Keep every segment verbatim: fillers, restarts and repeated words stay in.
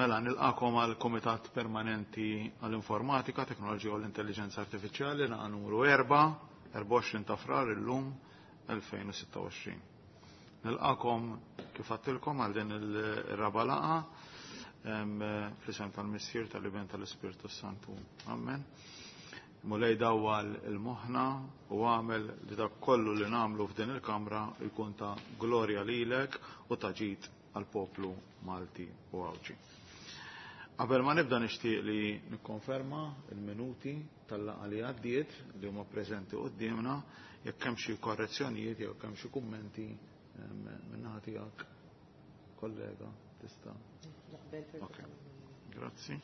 Mela, nilqakom għal Komitat Permanenti għall-Informatika, Teknoloġija u l-Intelligenza Artifiċjali, laqgħa numru erba', erbgħa u għoxrin ta' Frar illum elfejn u sitta u għoxrin. Nilqakom kif għattilkom għal din il-raba' laqgħa, fl-isem tal-Missier, tal-Iben, tal-Ispirtu Santu. Amen. Mulej dawwal il-moħħna u għamel li dak kollu li nagħmlu f'din il-kamra jkun ta' glorja lilek u ta' ġid għall-poplu Malti u Għawdxi. Qabel ma nibda nixtieq li nikkonferma il-minuti tal-laqgħa li għaddiet li huma preżenti quddiemna, jekk hemm xi korrezzjonijiet jew hemm xi kummenti min-naħa tiegħek, kollega, tista'. Okay. Grazzi.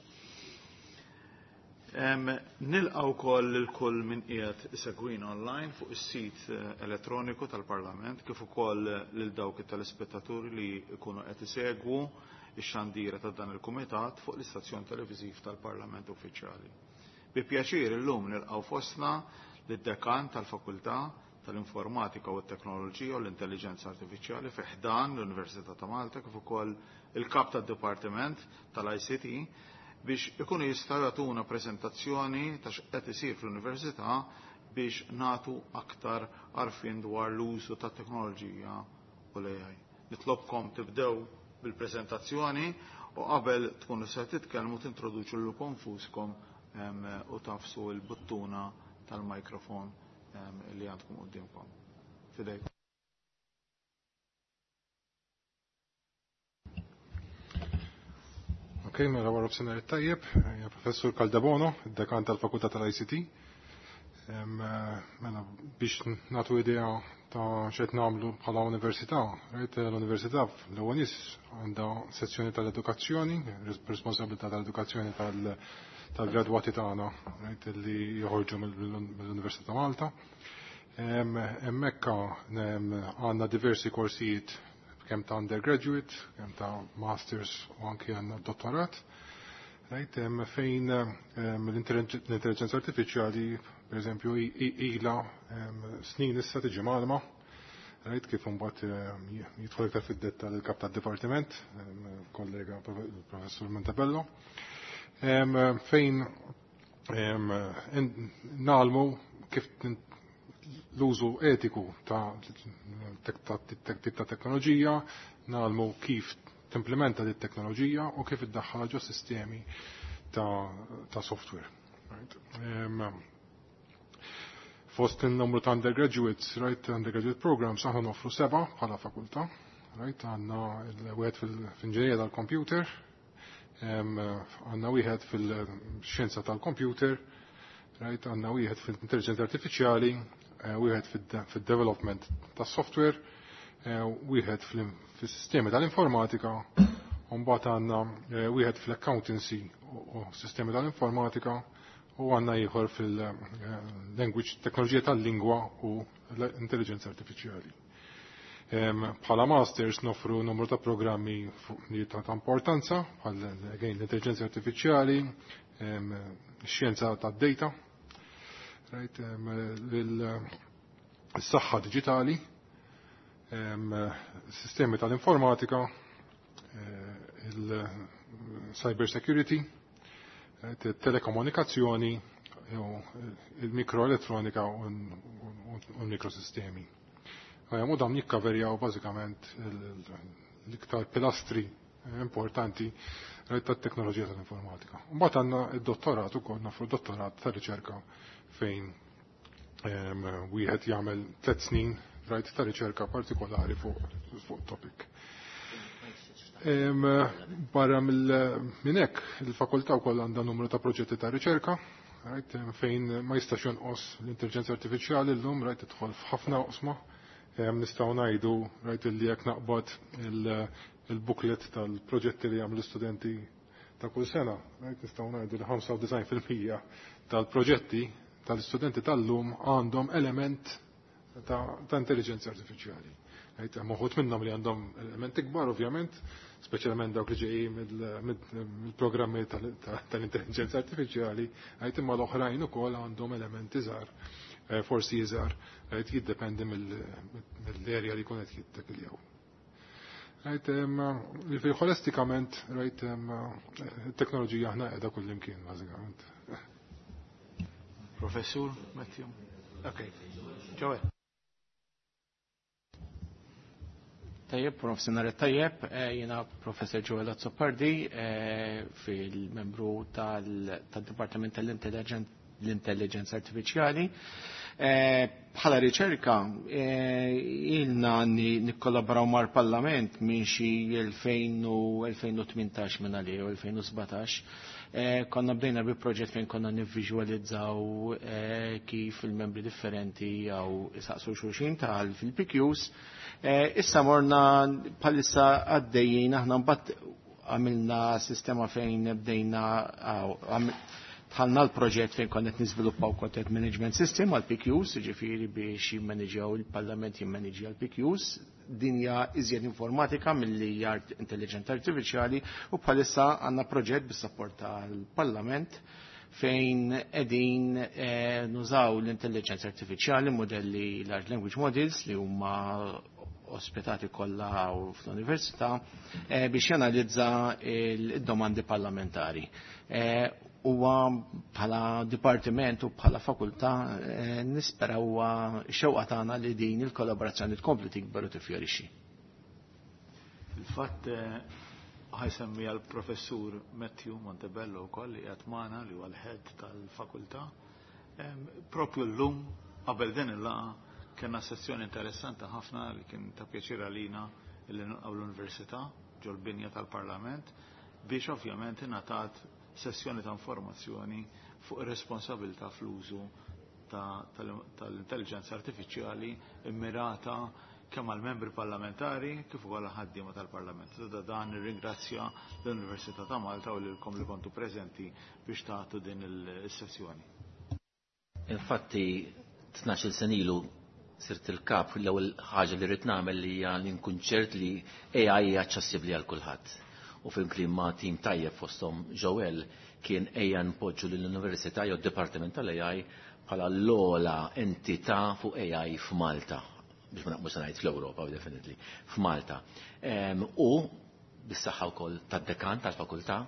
Nilqgħu wkoll lil kull min qiegħed isegwina online fuq is-sit elettroniku tal-Parlament, kif ukoll lil dawk it-telespettaturi li jkunu qed isegwu ix-xandira ta' dan il-kumitat fuq l-istazzjon televiżiv tal-Parlament Uffiċjali. Bi pjaċir illum nilqgħu fostna lid-dekan tal-Fakultà tal-Informatika u t-Teknoloġija u l-Intelligenza Artifiċjali fi ħdan l-Università ta' Malta, kif ukoll il-kap tad-Dipartiment tal-I C T, biex ikunu jistgħu jagħtuna preżentazzjoni ta' x'qed isir fl-Università biex nagħtu aktar għarfien dwar l-użu tat-teknoloġija u l-A I. Nitlobkom tibdew bil-preżentazzjoni u qabel tkunu se titkellmu tintroduċu lilkom nfuskom, em, u tafsu l-buttuna tal-mikrofon, em, li għandkom quddiemkom. Fidejkom. Ok, mela wara b'sinhar it-tajjeb, hija Professur Caldebono, id-dekan tal-Fakultà tal-I C T. Em, mela biex nagħtu idea ta' x'qed nagħmlu bħala università, rajt l-università l-ewwel nies għandha sezzjoni tal-edukazzjoni, responsabilità tal-edukazzjoni tal-, tal-gradwati tagħna, rajt li joħorġu mill-Università ta' Malta. Em, hemmhekk għandna diversi korsijiet kemm ta' undergraduate, kemm ta' masters u anki għandna dottorat. Right, em, fejn, em, l-intelligenza artifiċjali, per eżempju, i-, i-, ila, em, snin issa tiġi mgħallma, right, kif imbagħad, em, jidħol iktar fid-dettall il-kap tad-dipartiment, em, kollega professur Montebello, em, fejn, em, en-, nagħlmu kif l-użu etiku ta' ta' tip ta' teknoloġija, nagħlmu kif timplementa dit teknoloġija u kif iddaħħalha ġo sistemi ta', ta' software. Right? Em, fost il-numru ta' undergraduates, right, undergraduate programs, aħna noffru seba' bħala fakultà, right, għandna l-wieħed fil-inġinerija tal-computer, em, għandna wieħed fil-xjenza tal-computer, right, għandna wieħed fil-intelligenza artifiċjali, eh, wieħed fid-development tas-software, eh, wieħed fil-sistemi tal-informatika, u mbagħad għandna, eh, wieħed fl-accountancy u sistemi tal-informatika, u għandna ieħor fil-language, teknoloġija tal-lingwa u l-intelligenza artifiċjali. Em, bħala masters noffru numru ta' programmi li ta' importanza, bħal again l-intelligenza artifiċjali, em, xjenza tad-data, right, em, l-saħħa diġitali, em, sistemi tal-informatika, eh, il-cyber security, eh, telekomunikazzjoni, il-mikroelettronika u l-mikrosistemi. U dawn jikkaverjaw bażikament l-iktar pilastri importanti tat-teknoloġija tal-informatika. Mbagħad għandna d-dottorat ukoll, nofru dottorat ta' riċerka fejn, em, wieħed jagħmel tliet snin rajt ta' riċerka partikolari fuq, fuq topic. Em, barra mill-, minn hekk, il-fakultà wkoll għandha numru ta' proġetti ta' riċerka, right, fejn ma jistax jonqos l-intelligenza artifiċjali llum, right, tidħol f'ħafna oqsma. Em, nistgħu ngħidu, right, illi jekk naqbad il-, il-booklet tal-proġetti li jagħmlu studenti ta' kull sena, right, nistgħu ngħidu li ħamsa u disgħin fil-mija tal-proġetti tal-istudenti tal-lum għandhom element ta', ta' intelligenza artifiċjali. Right, hemm uħud minnhom li għandhom elementi kbar, ovvjament, speċjalment dawk li ġejjin mill-, mill-programmi tal-intelligenza artifiċjali, right, imma l-oħrajn ukoll għandhom elementi żgħar, eh, forsi iżgħar, right, jiddependi mill-erja li jkun qed jittakiljaw. Right, li ħolistikament, right, it-teknoloġija aħna qiegħda kullimkien bażikament. Professur Matthew. Okay. Joel. Tajjeb, professor tajjeb, jiena Professor Joel Azzopardi, fil-membru tal-Dipartiment tal-Intelligenza Artificiali. Bħala riċerka, ilna nikkollaboraw mal-Parlament minn xi elfejn u tmintax minn għalih u elfejn u sbatax. Konna bdejna bi proġett fejn konna nivviżwalizzaw kif il-membri differenti jew isaqsu xulxin tal fil-P Qs. Issa morna bħalissa għaddejjin aħna mbagħad għamilna sistema fejn bdejna dħalna l-proġett fejn konna qed niżviluppaw content management system għal P Qs, jiġifieri biex jimmaneġjaw il-Parlament jimmaneġja l-P Qs. Din hija iżjed informatika milli hija intelligenza artifiċjali u bħalissa għandna proġett bis-sapport tal-Parlament fejn qegħdin nużaw l-intelligenza artifiċjali, modelli large language models li huma ospitati kollha fl-università biex janalizza il-domandi parlamentari. Huwa bħala dipartiment u bħala fakultà nispera huwa xewqa tagħna li din il-kollaborazzjoni tkompli tikber u tifjorixxi. Il-fatt ħajsemmi għall-Professur Matthew Montebello wkoll li qiegħed magħna li huwa l-head tal-fakultà. Propju llum qabel din il-laqgħa kellna sessjoni interessanti ħafna li kien ta' pjaċir għalina li nilqgħu l-Università ġol-binja tal-Parlament biex ovvjament ingħatat sessjoni ta' informazzjoni fuq ir-responsabilità fl-użu tal-intelligenza artifiċjali immirata kemm għall-membri parlamentari kif ukoll għall-ħaddiema tal-Parlament. Da dan nirringrazzja l-Università ta' Malta u lilkom li kontu preżenti biex tagħtu din is-sessjoni. Infatti tnax-il sena ilu sirt il-kap l-ewwel ħaġa li rrid nagħmel li hija li nkun ċert li A I hija aċċessibbli għal kulħadd. U fil-klim ma' tim tajjeb fosthom Joel kien ejja npoġġu lill-Università jew d-Dipartiment tal-A I bħala l-ogħla entità fuq A I f'Malta, biex ma naqbux ngħid fl-Ewropa definitely, f'Malta. U bis-saħħa wkoll tad-dekan tal-fakultà,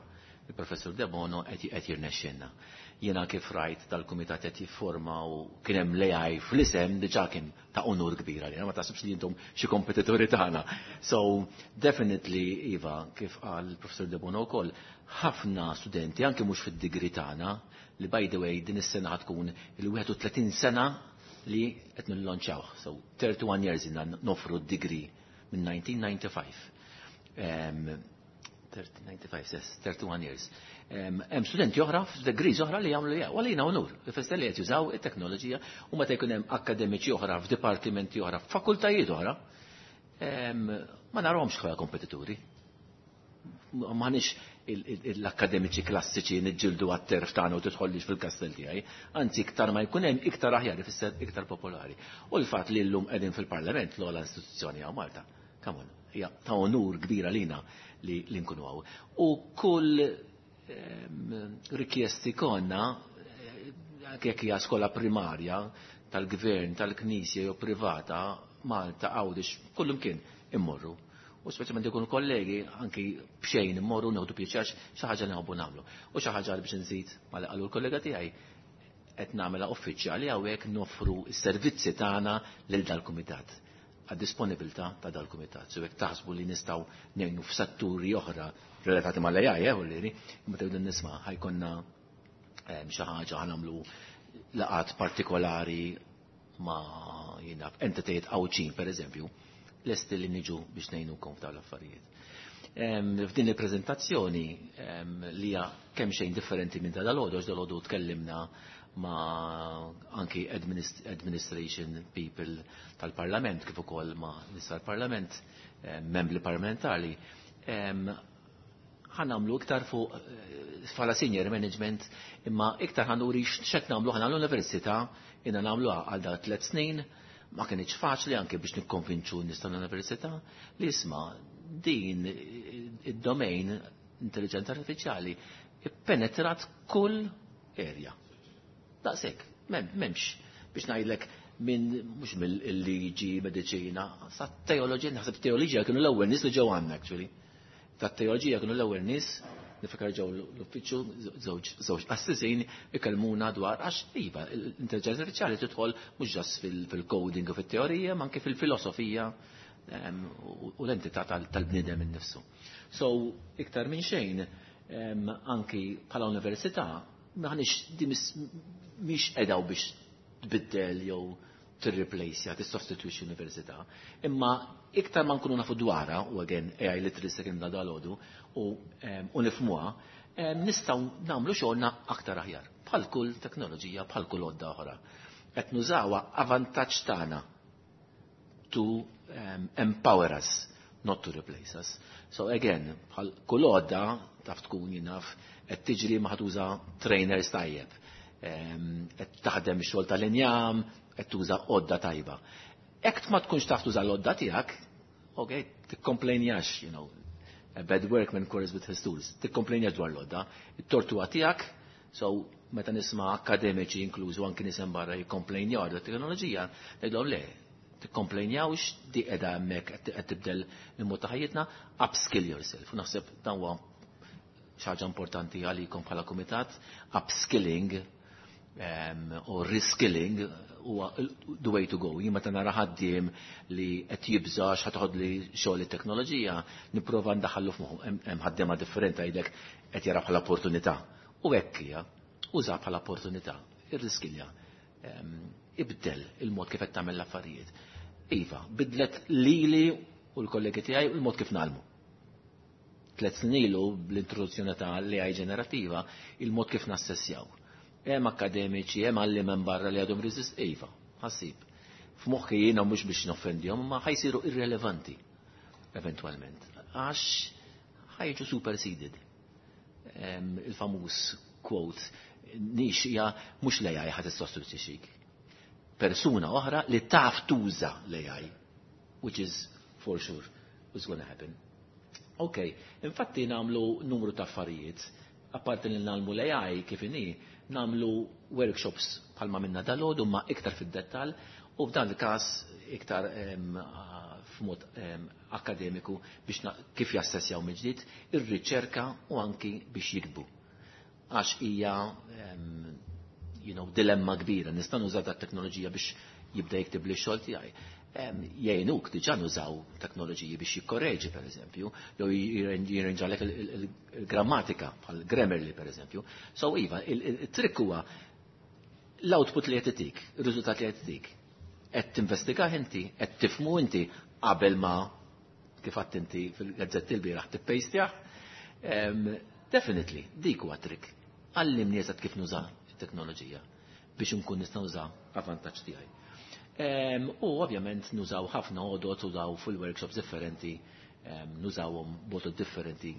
il-Professur Debono qed jirnexxinna. Jiena kif rajt dal-kumitat qed jifforma u kien hemm l-A I fl-isem diġà kien ta' onur kbira għalina, ma taħsibx li intom xi kompetituri tagħna. So definitely iva, kif qal il-Professur Debono wkoll, ħafna studenti anke mhux fid-degree tagħna li by the way din is-sena tkun il-wieħed u tletin sena li qed nillonċawh. So thirty-one years inna nofru d-degree minn nineteen ninety-five. ninety-five, yes, thirty-one years. Hemm studenti oħra f'degrees oħra li jagħmlu jew għalina onur, ifisser li qed jużaw it-teknoloġija u meta jkun hemm akademiċi oħra f'dipartimenti oħra, f'fakultajiet oħra, ma narahomx bħala kompetituri. M'aħniex l-akademiċi klassiċi niġġieldu għat-terf tagħna u tidħollix fil-kastell tiegħi, anzi iktar ma jkun hemm iktar aħjar ifisser iktar popolari. U l-fatt li llum qegħdin fil-Parlament l-ogħla istituzzjoni hawn Malta, come on, hija ta' onur kbira lina li nkunu hawn. U kull rikjesti konna, jekk hija skola primarja tal-gvern, tal-knisja jew privata, Malta, Għawdex, kullum kien immorru. U speċjalment ikunu kollegi, anki b'xejn immorru nieħdu pjaċir xi ħaġa li nħobbu nagħmlu. U xi ħaġa biex nżid ma li qalu l-kollega tiegħi qed nagħmilha uffiċjali hawnhekk noffru s-servizzi tagħna lil dal-kumitat, għad-disponibilità ta' dal-kumitat. So jekk taħsbu li nistgħu ngħinu f'setturi oħra relatati mal-A I, eh, u liri, imma tgħidu nisma' ħajkonna xi ħaġa ħanamlu laqat partikolari ma' jiena entitajiet Għawdxin pereżempju, lesti li niġu biex ngħinukom f'dawn l-affarijiet. F'din il-preżentazzjoni li hija kemm xejn differenti minn dal-għodu, għax dal-għodu tkellimna ma' anki administration people tal-Parlament, kif ukoll ma' nies tal-Parlament, membri parlamentari, ħa nagħmlu iktar fuq bħala senior management, imma iktar ħa nuri x'qed nagħmlu ħa l-università, inna nagħmluha għal da tliet snin, ma kienx faċli anke biex nikkonvinċu n-nies tal-università li isma' din id-domain intelligenza artifiċjali ippenetrat kull area. Daqshekk, m'hemmx biex ngħidlek minn mhux mill-liġi, mediċina, sa teoloġija, naħseb teoloġija kienu l-ewwel nies li ġew għandna actually. Ta' teoloġija kienu l-ewwel nies niftakar ġew l-uffiċċju żewġ qassisin ikellmuna dwar għax iva l-intelligenza artifiċjali tidħol mhux ġas fil-coding u fit-teorija, ma anke fil-filosofija u l-entità tal-bniedem innifsu. So, iktar minn xejn, anki bħala università, maħniex di mhix qedaw biex tbiddel jew tirreplace, tissostitwixxi università. Imma iktar ma nkunu nafu dwarha, u again A I literacy kien da dalodu, u u nifhmuha, nistgħu nagħmlu xogħolna aktar aħjar. Bħal kull teknoloġija, bħal kull għodda oħra. Qed nużawha avantaġġ tagħna to um, empower us, not to replace us. So again, bħal kull għodda taf tkun jinaf qed tiġri ma tuża trainers tajjeb. Qed taħdem ix-xogħol tal-injam, qed tuża għodda tajba. Jekk ma tkunx taf tuża l-għodda tiegħek, ok, tikkomplejnjax, you know, a bad workman quarrels with his tools. Tikkomplejnjax dwar l-għodda, it-tort huwa tiegħek, so meta nisma' akademiċi inklużu anki nisem barra jikkomplejnjaw dwar teknoloġija, ngħidlhom le, tikkomplejnjawx, di qiegħda hemmhekk qed tibdel il-mod ta' ħajjitna, upskill yourself. U naħseb dan huwa xi ħaġa importanti għalikom bħala kumitat, upskilling um, u reskilling huwa the way to go. Jien meta nara ħaddiem li qed jibża x'ħa toħodli xogħol it-teknoloġija, nipprova ndaħħallu f'moħħu. Hemm ħaddiema differenti jgħidlek qed jara bħala opportunità. U hekk hija, uża bħala opportunità, irriskilja. Ibdel il-mod kif qed tagħmel l-affarijiet. Iva, bidlet lili u l-kollegi tiegħi u l-mod kif nagħmlu. Tlet snin ilu bl-introduzzjoni ta' l-A I ġenerattiva, il-mod kif nassessjaw. Hemm akademiċi, hemm għalli minn barra li għadhom resist, iva, ħassib. F'moħħi jiena mhux biex noffendihom, ma ħa jsiru irrelevanti eventwalment. Għax ħa jiġu superseded. Il-famuż quote, nix hija mhux l-A I ħa tissostitwixxik. Persuna oħra li taf tuża l-A I, which is for sure is gonna happen. Ok, infatti nagħmlu numru ta' affarijiet, apparti li nagħmlu l-A I kif inhi, nagħmlu workshops bħalma minna dal-għodu ma iktar fid-dettal u f'dan il-każ iktar f'mod akademiku biex kif jassessjaw mill-ġdid ir-riċerka u anki biex jiktbu. Għax hija you know, dilemma kbira, nista' nuża dat teknoloġija biex jibda jiktib li x-xogħol tiegħi. Jgħinuk diġà nużaw teknoloġiji biex jikkorreġi per eżempju, jew jirranġalek il-grammatika bħal Grammarly per eżempju. So iva, il-trick huwa l-output li qed itik, ir-riżultat li qed itik. Qed tinvestigah inti, qed tifhmu inti qabel ma kif għedt inti fil-gazzetti l-bieraħ tippejstjah. Definitely, dik huwa trick. Għallimni eżatt kif nuża it-teknoloġija biex nkun nista' nuża avantaġġ tiegħi. U ovvjament nużaw ħafna għodot, użaw fil-workshops differenti, nużawhom b'għodot differenti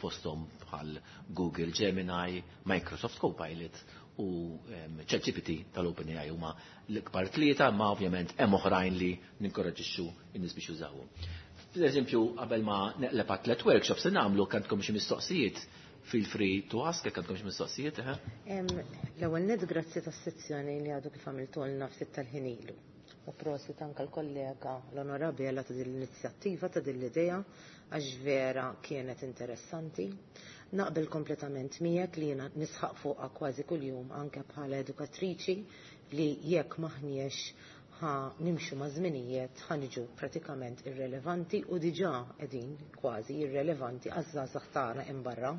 fosthom bħal Google Gemini, Microsoft Copilot u ChatGPT tal-OpenAI huma l-ikbar tlieta, ma ovvjament hemm oħrajn li ninkoraġixxu n-nies biex jużawhom. Per eżempju, qabel ma neqleb tliet workshops se nagħmlu għandkom xi mistoqsijiet, feel free to ask, jekk għandkom xi mistoqsijiet, eh? L-ewwel nett grazzi tas-sezzjoni li għadu kif għamiltulna ftit tal-ħin ilu. U prosit anke l-kollega l-Onorabella ta' din l-inizjattiva, ta' din l-idea, għax vera kienet interessanti. Naqbel kompletament miegħek li jiena nisħaq fuqha kważi kuljum anke bħala edukatriċi li jekk maħniex ħa nimxu ma' żminijiet ħa niġu pratikament irrelevanti u diġà qegħdin kważi irrelevanti għaż-żgħażagħ tagħna hemm barra.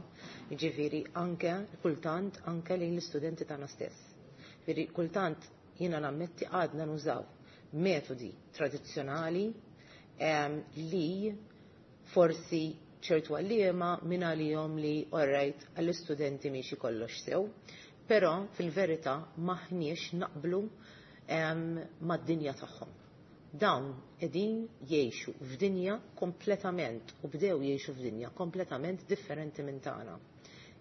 Jiġifieri anke kultant anke lejn l-istudenti tagħna stess. Jiġifieri kultant jiena nammetti għadna nużaw metodi tradizzjonali li forsi ċertu għalliema minn għalihom li alright għall-istudenti miexi kollox sew, però fil-verità maħniex naqblu mad-dinja tagħhom. Dawn qegħdin jgħixu f'dinja kompletament u bdew jgħixu f'dinja kompletament differenti minn tagħna.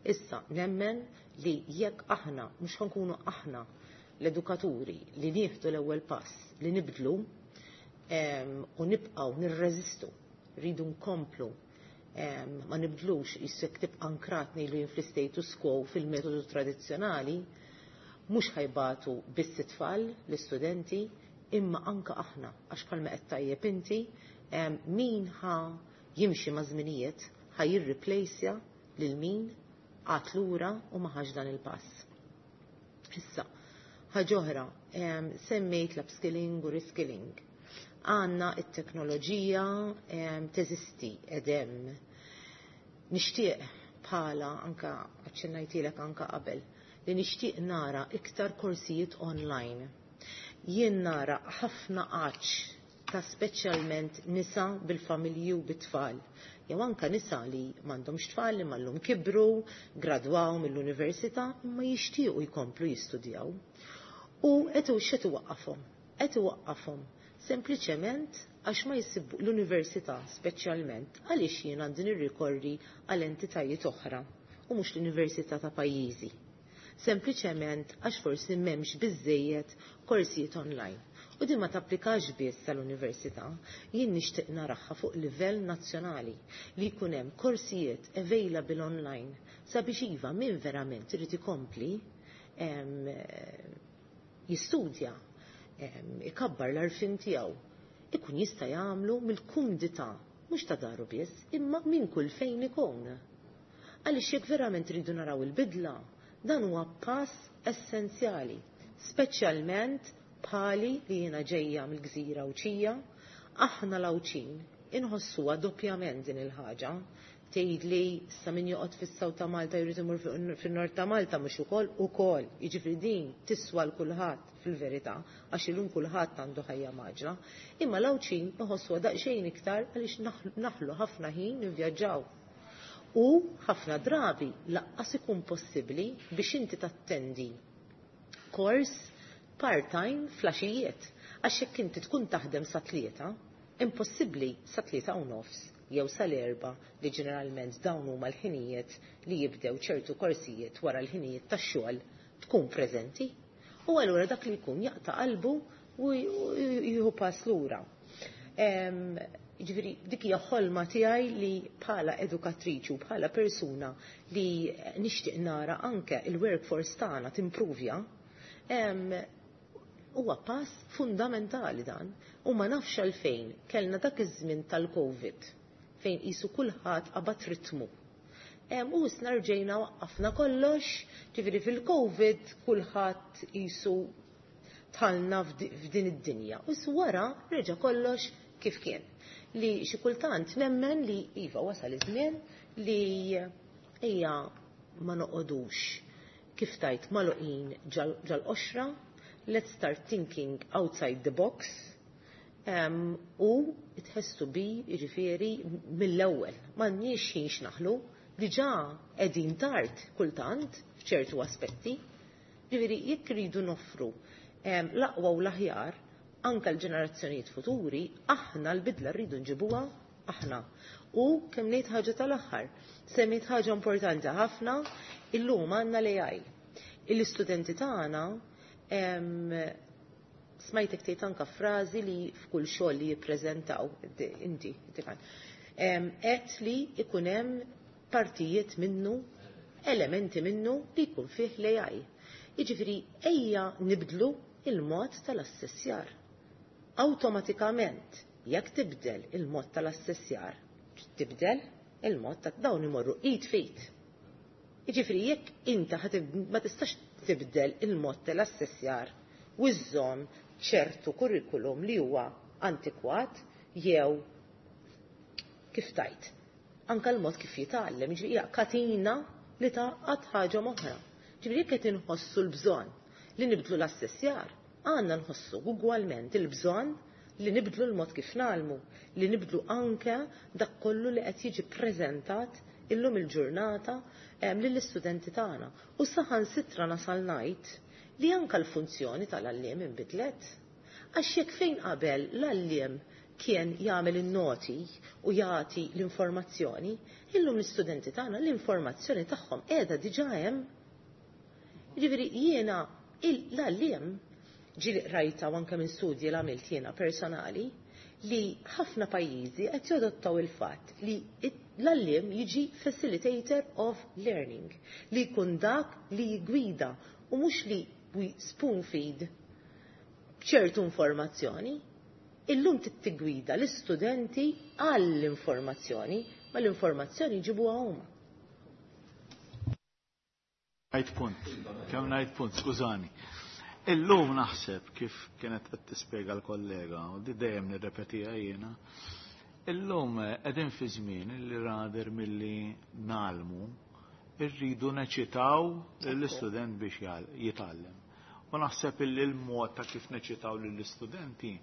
Issa nemmen li jekk aħna mhux ħankunu aħna l-edukaturi li nieħdu l-ewwel pass li nibdlu u nibqgħu nirreżistu, rridu nkomplu ma nibdlux jissek tibqa' ankrat ngħidu jien fl-status quo fil-metodu tradizzjonali, Mhux ħa jbatu biss it-tfal, l-istudenti, imma anka aħna, għax bħalma qed tajjeb inti, min ħa jimxi ma' żminijiet ħa jirreplejsja lil min qagħad lura u ma ħax dan il-pass. Issa, ħaġa oħra, semmejt l-upskilling u reskilling. Għandna it-teknoloġija teżisti edem. Nixtieq bħala anka aċċennajtilek anka qabel li nixtieq nara iktar korsijiet online. Jien nara ħafna għatx ta' speċjalment nisa bil-familji u bit-tfal. Jew anka nisa li m'għandhomx tfal li mallum kibru, gradwaw mill-università, imma jixtiequ jkomplu jistudjaw. U qed x'qed iwaqqafhom? Qed iwaqqafhom sempliċement għax ma jsibu l-università speċjalment għaliex jien għandi nirrikorri għal entitajiet oħra u mhux l-università ta' pajjiżi. Sempliċement għax forsi m'hemmx biżejjed korsijiet online. U din ma tapplikax biss tal-università, jien nixtieq naraha fuq livell nazzjonali li jkun hemm korsijiet available online sabiex iva min verament irid ikompli jistudja, ikabbar l-għarfien tiegħu, ikun jista' jagħmlu mill-kumdità mhux ta' daru biss, imma minn kull fejn ikun. Għaliex jekk verament ridu naraw il-bidla, dan huwa pass essenzjali, speċjalment bħali li jiena ġejja mill-gżira Għawdxija, aħna l-Għawdxin inħossuha doppjament din il-ħaġa. Tgħid li sa min joqgħod fis-South ta' Malta jrid imur fin-Nord ta' Malta mhux ukoll ukoll. Jiġifieri din tiswa l kulħadd fil-verità għax illum kulħadd għandu ħajja mgħaġġla. Imma l-Għawdxin iħossuha daqsxejn iktar għaliex naħlu ħafna ħin nivvjaġġaw. U ħafna drabi lanqas ikun possibbli biex inti tattendi kors part-time filgħaxijiet. Għax jekk inti tkun taħdem sa tlieta, impossibbli sa tlieta u nofs jew sal-erba li ġeneralment dawn huma l-ħinijiet li jibdew ċertu korsijiet wara l-ħinijiet tax-xogħol tkun preżenti. U allura dak li jkun jaqta' qalbu u jieħu pass lura. Ġifieri dik hija ħolma tiegħi li bħala edukatriċi u bħala persuna li nixtieq nara anke il-workforce tagħna timpruvja, huwa pass fundamentali dan. U ma nafx għalfejn kellna dak iż-żmien tal-Covid fejn qisu kulħadd qabad ritmu. U issa rġejna waqqafna kollox, ġifieri fil-Covid kulħadd qisu dħalna f'din id-dinja. U wara reġa' kollox kif kien. Li xi kultant nemmen li iva wasal iż-żmien li hija ma noqogħdux kif tajt magħluqin ġal-qoxra, let's start thinking outside the box, um, u it has to be, jiġifieri, mill-ewwel. M'għandniex ħin x'naħlu, diġà qegħdin tard kultant f'ċertu aspetti. Ġifieri jekk ridu noffru um, l-aqwa u l-aħjar anka l-ġenerazzjonijiet futuri, aħna l-bidla rridu nġibuha aħna. U kemm ngħid ħaġa tal-aħħar, semmejt ħaġa importanti ħafna, illum għandna l-A I. Il-istudenti tagħna, smajtek tgħid anka frażi li f'kull xogħol li jippreżentaw inti, qed li ikun hemm partijiet minnu, elementi minnu li jkun fih l-A I. Jiġifieri ejja nibdlu il-mod tal-assessjar. Awtomatikament, jekk tibdel il-mod tal-assessjar, tibdel il-mod ta' dawn imorru id f'id. Jiġifieri jekk inta ma tistax tibdel il-mod tal-assessjar u żżomm ċertu kurrikulum li huwa antikwat jew kif tajt. Anka l-mod kif jitgħallem, jiġifieri hija katina li tgħaqqad ħaġa oħra. Ġifieri jekk qed inħossu l-bżonn li nibdlu l-assessjar, għandna nħossu ugwalment il-bżonn li nibdlu l-mod kif nagħmlu, li nibdlu anke dak kollu li qed jiġi preżentat illum il-ġurnata lill-istudenti tagħna. U saħansitra nasal ngħid li anke l-funzjoni tal-għalliem inbidlet. Għax jekk fejn qabel l-għalliem kien jagħmel in-noti u jagħti l-informazzjoni, illum l-istudenti tagħna l-informazzjoni tagħhom qiegħda diġà hemm. Jiġifieri jiena l-għalliem ġieli rajta anke minn studji li għamilt jiena personali li ħafna pajjiżi qed jadottaw il-fatt li l-għalliem jiġi facilitator of learning, li jkun dak li jgwida u mhux li we spoon feed ċertu informazzjoni, illum tigwida l-istudenti għall-informazzjoni, ma l-informazzjoni jġibuha huma. Ngħid punt, kemm ngħid punt, skużani. Illum naħseb kif kienet qed tispjega l-kollega, u di dejjem nirrepetiha jiena, illum qegħdin fi żmien li rather milli ngħallmu irridu neċitaw lill-istudent biex jitgħallem. U naħseb illi l-mod ta' kif neċitaw lill-istudenti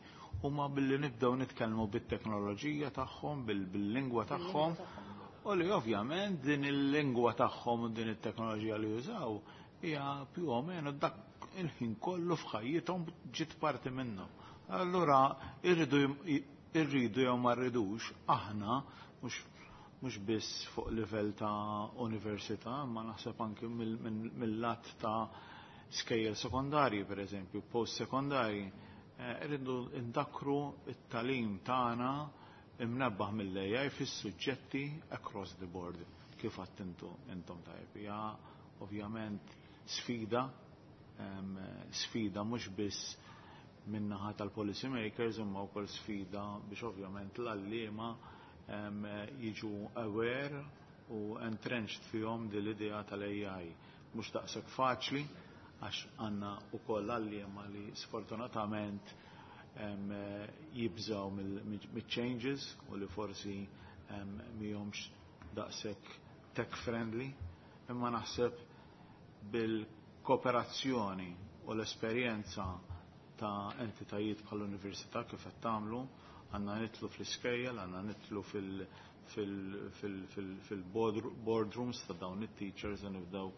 huma billi nibdew nitkellmu bit-teknoloġija tagħhom, bil-lingwa tagħhom, u li ovvjament din il-lingwa tagħhom u din it-teknoloġija li jużaw hija più o meno dak il-ħin kollu f'ħajjithom ġiet parti minnhom. Allura irridu irridu jew ma rridux aħna mhux mhux biss fuq livell ta' università, ma naħseb anke mill-lat ta' skejjel sekondarji, per eżempju, post sekondarji, irridu ndakru it-tagħlim tagħna imnebbaħ mill-A I fis-suġġetti across the board, kif għattintu intom tajb. Ja, ovvjament sfida, sfida mhux biss min-naħa tal-policy makers, imma wkoll sfida biex ovvjament l-għalliema jiġu aware u entrenched fihom din l-idea tal-A I. Mhux daqshekk faċli, għax għandna wkoll għalliema li sfortunatament jibżaw mill-changes u li forsi mhumiex daqshekk tech friendly, imma naħseb bil-kooperazzjoni u l-esperjenza ta' entitajiet bħall-università kif qed tagħmlu, għandna nidħlu fl-iskejjel, għandna nidħlu fil-boardrooms ta' dawn it-teachers u nibdew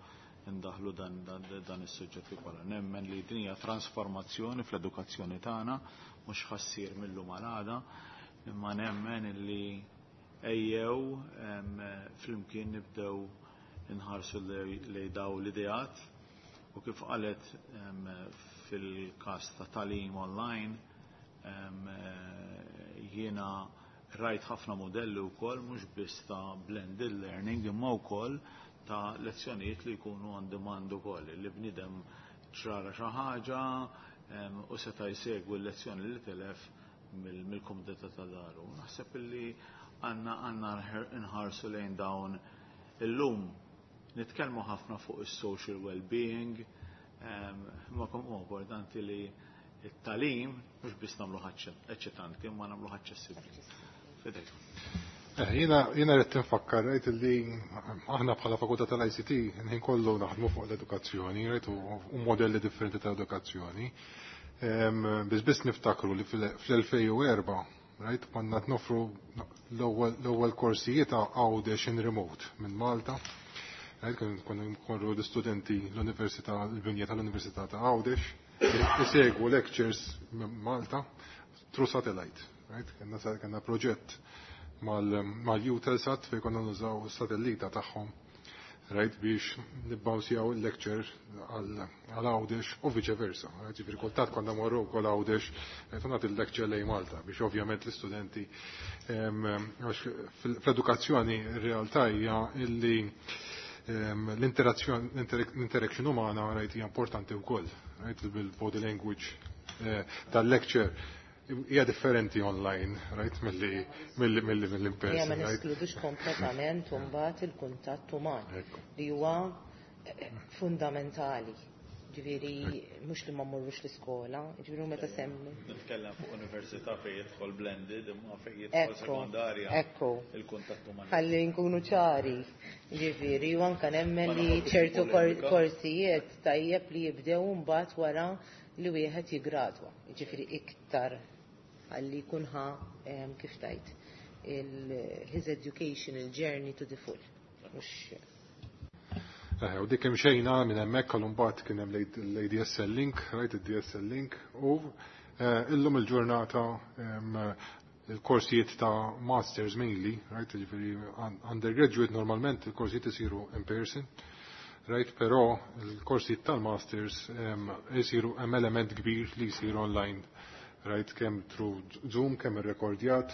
indaħlu dan, dan, dan is-suġġetti kollha. Nemmen li din hija trasformazzjoni fl-edukazzjoni tagħna, mhux ħa ssir mil-lum għal għada, imma nemmen li ejjew flimkien nibdew inħarsu lejn daw l-ideat u kif qalet fil-każ ta' tagħlim online, jiena rajt ħafna modelli wkoll, mhux biss ta' blended learning, imma wkoll ta' lezzjonijiet li jkunu on demand ukoll, li bniedem ċara xi ħaġa u seta' jsegwi l-lezzjoni li telef mill-kumdità ta' daru. Naħseb li għandna għandna nħarsu lejn dawn. Illum nitkellmu ħafna fuq is-social well-being, ma kemm huwa importanti li it-tagħlim mhux biss nagħmlu eċċitanti, imma nagħmlu aċċessibbli. Fidejk. Eh, jiena jiena rrid tinfakkar rajt li aħna bħala fakultà tal-I C T nħin kollu naħdmu fuq l-edukazzjoni, rajt, u modelli differenti ta' edukazzjoni. Biss biss niftakru li fl-elfejn u erbgħa, rajt, konna noffru l-ewwel korsijiet ta' Għawdex in remote minn Malta. Rajt, konna nkorru l-istudenti l-Università, l-binja tal-Università ta' Għawdex, isegwu lectures minn Malta through satellite. Right? Kenna kenna proġett mal-Eutelsat fej konna nużaw satellita tagħhom, right, biex nibbawnsjaw il-lecture għal Għawdex u vice versa. Right, ġifieri kultant konna morru wkoll Għawdex, right, u nagħti il-lecture lejn Malta biex ovvjament l-istudenti, għax fl-edukazzjoni r-realtà hija illi l-interaction umana, right, hija importanti wkoll, right, bil-body language eh, tal-lecture hija differenti online, right, milli milli milli mill in person. Ma neskludux kompletament mbagħad il-kuntatt uman li huwa eh, fundamentali. Ġifieri mhux li ma mmorrux l-iskola, ġifieri meta semmi. Nitkellem fuq università fejn jidħol blended, imma fejn jidħol sekondarja. Ekku. Il-kuntatt uman. Ħalli nkunu ċari. Ġifieri u anke nemmen li ċertu korsijiet tajjeb li jibdew mbagħad wara li wieħed jigradwa. Ġifieri iktar għalli jkun ħa, kif tajt, his educational journey to the full. Mux Eh, u dik xejna minn hemmhekk għal mbagħad kien hemm l-A D S L link, right, id-D S L link, u eh, illum il-ġurnata il-korsijiet ta' masters mainly, right, ġifieri undergraduate normalment il-korsijiet isiru in person, right, però il-korsijiet tal-masters isiru, hemm element kbir li jisiru online, right, kemm through Zoom, kemm irrekordjat.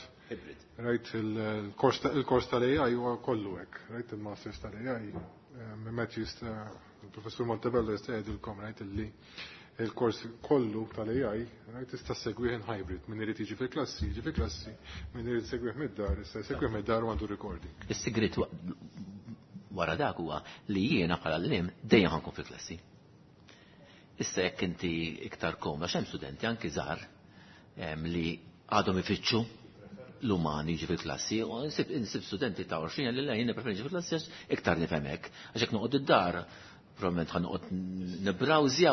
Right, il-kors tal-A I huwa kollu hekk, right, il-masters tal-A I, Matt jista' Il-Professur Montebello jista' jgħidilkom, right, illi il-kors kollu tal-A I, right, tista' segwih in hybrid. Min irid jiġi fil-klassi, jiġi fil-klassi, min irid segwih mid-dar, jista' jsegwih mid-dar u għandu recording. Is-sigrit wara dak huwa li jiena bħala għalliem dejjem ħa nkun fil-klassi. Issa jekk inti iktar komda, hemm studenti anki żgħar li għadhom ifittxu l-umani jiġi fil-klassi, u nsib studenti ta' għoxrin li la, jien preferi fil-klassi għax iktar nifhem hekk, għax jekk noqgħod id-dar, probabbilment ħa noqgħod nibbrowsja,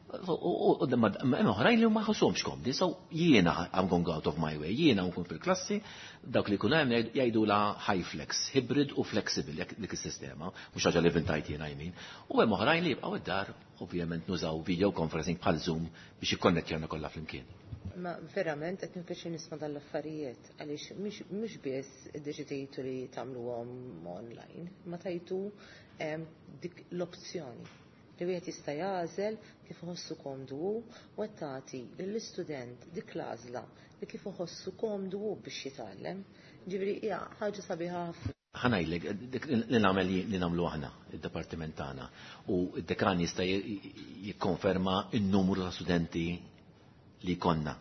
u hemm oħrajn li ma jħossuhomx komdi, so jiena I'm going out of my way, jiena nkun fil-klassi, dawk li jkunu hemm jgħidu la high flex, hybrid u flexible jekk dik is-sistema, mhux ħaġa li vvintajt jiena jmin. U hemm oħrajn li jibqgħu id-dar, ovvjament nużaw video conferencing bħal Zoom biex jikkonnettjawna kollha flimkien. Ma verament qed nipjaċir nisma' dal-affarijiet għaliex mhux biss iddeċidejtu li tagħmluhom online, ma tajtu dik l-opzjoni li wieħed jista' jagħżel kif iħossu komdu hu u qed tagħti lill-istudent dik l-għażla li kif iħossu komdu hu biex jitgħallem. Ġifieri hija ħaġa sabiħa ħafna. Ħa ngħidlek, li nagħmel li nagħmlu aħna, id-dipartiment tagħna, u d-dekan jista' jikkonferma n-numru ta' studenti li konna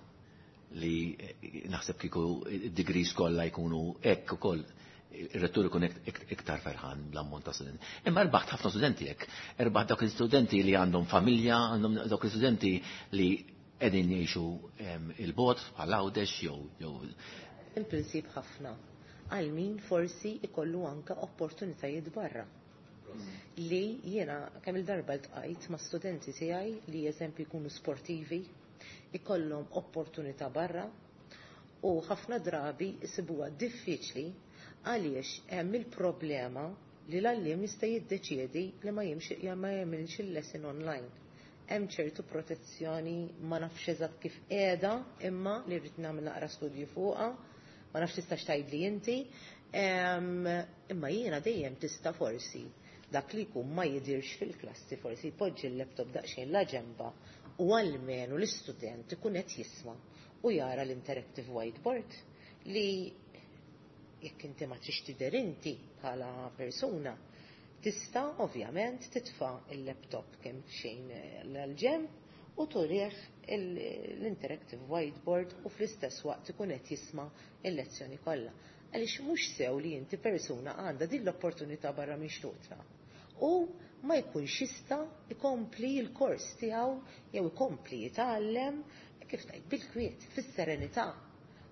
li naħseb kieku id-degrees kollha jkunu hekk ukoll ir-rettur ikun iktar ferħan bl-ammont ta' studenti. Imma rbaħt ħafna studenti hekk. Erbaħt dawk l-istudenti li għandhom familja, għandhom dawk l-istudenti li qegħdin jgħixu il-bogħod bħal Għawdex jew jew Il-prinċip ħafna għal min forsi ikollu anka opportunitajiet barra. Li jiena kemm il-darba ltqajt ma' studenti tiegħi li eżempju jkunu sportivi, ikollhom opportunità barra u ħafna drabi jsibuha diffiċli għaliex hemm il-problema li l-għalliem jista' jiddeċiedi li ma jimxi ma jagħmilx il-lesson online. Hemm ċertu protezzjoni, ma nafx eżatt kif qiegħda, imma li rrid nagħmel naqra studju fuqha, ma nafx tistax tgħidli inti, imma jiena dejjem tista' forsi dak li jkun ma jidirx fil-klassi forsi jpoġġi l-laptop daqsxejn la ġemba u almenu l-istudent ikun qed jisma' u jara l-interactive whiteboard li jekk inti ma trix tidher inti bħala persuna, tista' ovvjament titfa' il-laptop kemm xejn l-ġemb u turih l-interactive whiteboard u fl-istess waqt ikun qed jisma' il-lezzjoni kollha. Għaliex mhux sew li inti persuna għandha din l-opportunità barra minn xtutna u ma jkunx jista' ikompli l-kors tiegħu jew ikompli jitgħallem kif tgħid bil-kwiet, fis-serenità.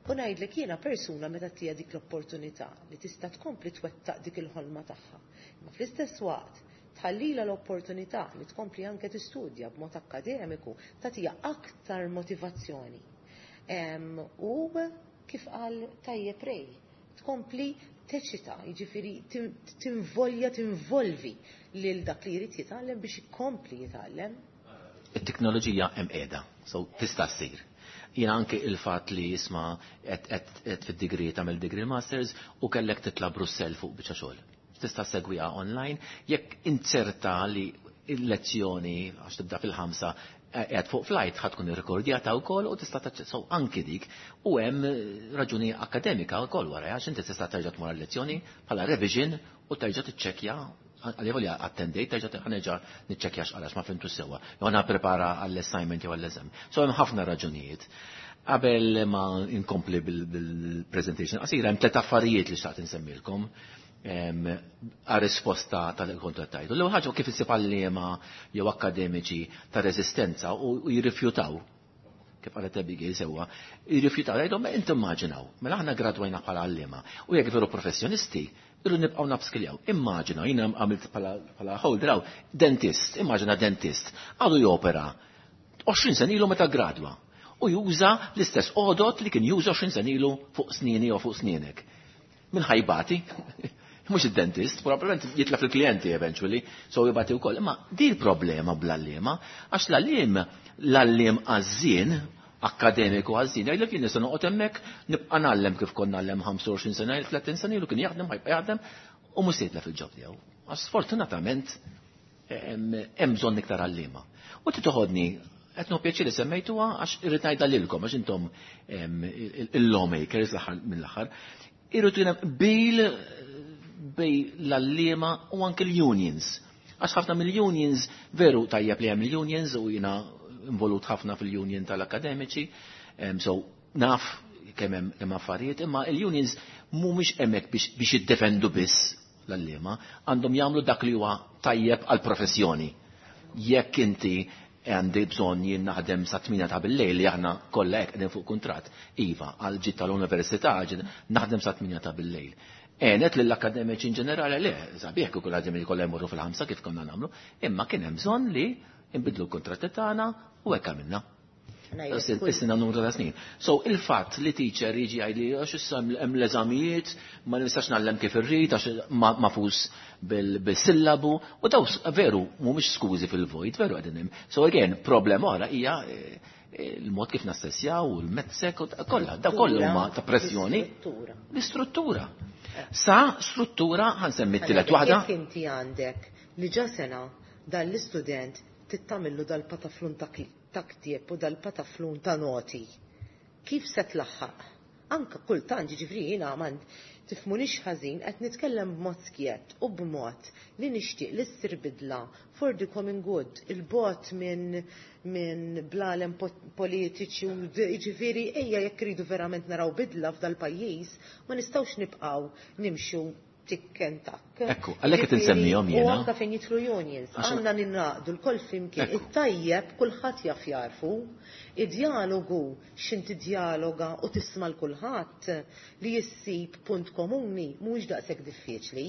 U ngħidlek jiena persuna meta tija dik l-opportunità li tista' tkompli twettaq dik il-ħolma tagħha. Imma fl-istess waqt tħallila l-opportunità li tkompli anke tistudja b'mod akkademiku tagħtiha aktar motivazzjoni. U kif qal tajjeb Ray, tkompli teċita, jiġifieri tinvolja, tinvolvi lil dak li jrid jitgħallem biex ikompli jitgħallem. It-teknoloġija hemm qiegħda, so tista' ssir. Jiena anke il-fatt li jisma' qed fid-degree, tagħmel degree masters u kellek titla' Brussell fuq biċċa xogħol. Tista' segwiha online jekk inzerta li il-lezzjoni għax tibda fil-ħamsa qed fuq flight, ħa tkun irrekordjata wkoll u tista' taċċessaw anki dik u hemm raġuni akademika wkoll wara għax inti tista' terġa' tmur lezzjoni bħala revision u terġa' tiċċekkja għalli attendejt, terġa' ħa nerġa' niċċekkja x'għalax ma fhimtu sewwa. Jew għana prepara għall-assignment jew għall-eżam. So hemm ħafna raġunijiet. Qabel ma inkompli bil-presentation qasira, hemm tliet affarijiet li xtaqt insemmilkom għal risposta tal-kontrattajtu. L-ewwel ħaġa, kif issib għalliema jew akademiċi ta' reżistenza u jirrifjutaw, kif qalet Abigail sewwa, jirrifjutaw, jgħidu, inti immaġinaw, mela aħna gradwajna bħala għalliema u jekk veru professjonisti, irridu nibqgħu nupskilljaw. Immaġina, jiena għamilt bħala holder, dentist, immaġina dentist, għadu jopera għoxrin sena ilu meta gradwa u juża l-istess għodot li kien juża għoxrin sena ilu fuq snini u fuq snienek. Min ħa jbati? Mhux id-dentist, probabbilment jitlef il-klijenti eventually, so jibati wkoll. Imma di l-problema bl-għalliema, għax l-għalliem, l-għalliem għażżien, akademiku għażżien, jgħidlek jien nista' noqgħod hemmhekk nibqa' ngħallem kif konna ngħallem ħamsa u għoxrin sena, tletin sena ilu, kien jaħdem, ħa jibqa' jaħdem u mhux se jitlef il-job tiegħu. Għax sfortunatament hemm bżonn iktar għalliema. U titoħodni qed nieħu pjaċir li semmejtuha għax irrid ngħidha lilkom għax intom il-lawmakers mill-aħħar. Irrid bil bejn l-għalliema u anke l-unions. Għax ħafna mill-unions, veru tajjeb li hemm il-unions u jiena involut ħafna fil-union tal-akademiċi, so naf kemm hemm affarijiet, imma il-unions mhumiex hemmhekk biex jiddefendu biss l-għalliema, għandhom jagħmlu dak li huwa tajjeb għall-professjoni. Jekk inti għandi bżonn jien naħdem sa tmienja ta' bil-lejl li aħna kollha hekk qegħdin fuq kuntratt, iva, għal ġid tal-università naħdem sa tmienja ta' bil-lejl. Għenet lill-akademiċi in ġenerali le, sabiħ kieku l-akademiċi kollha jmorru fil-ħamsa kif konna nagħmlu, imma kien hemm bżonn li nbidlu l-kuntratti tagħna u hekk għamilna. Is-sena numru ta' snin. So il-fatt li teacher jiġi jgħidli għax issa hemm l-eżamijiet, ma nistax ngħallem kif irrid għax mafus bil-sillabu, u daw veru mhumiex skużi fil-vojt, veru qegħdin hemm. So again, problema oħra hija il-mod kif nassessjaw u l-medsec u kollha, daw kollha huma ta' pressjoni. L-istruttura. Sa struttura ħansemmi t-tielet waħda. Jekk inti għandek li ġa sena dan l-istudent tittamillu dal-pataflun ta' ta' ktieb u dal-pataflun ta' noti. Kif se tlaħħaq? Anka kultant, jiġifieri jiena ma tifhmunix ħażin, qed nitkellem b'mod skjett u b'mod li nixtieq li ssir bidla for the common good, il-bot minn min blalem politiċi u jiġifieri ejja jekk iridu verament naraw bidla f'dal-pajjiż, ma nistgħux nibqgħu nimxu tikken takk. Ekku, għalhekk qed insemmihom jiena. U anka fejn jidħlu unions, għandna ninaqdu l-koll flimkien. It-tajjeb kulħadd jaf jarfu, id-dialogu x'inti dialoga u tisma' l kulħadd li jissib punt komuni mhuwiex daqshekk diffiċli.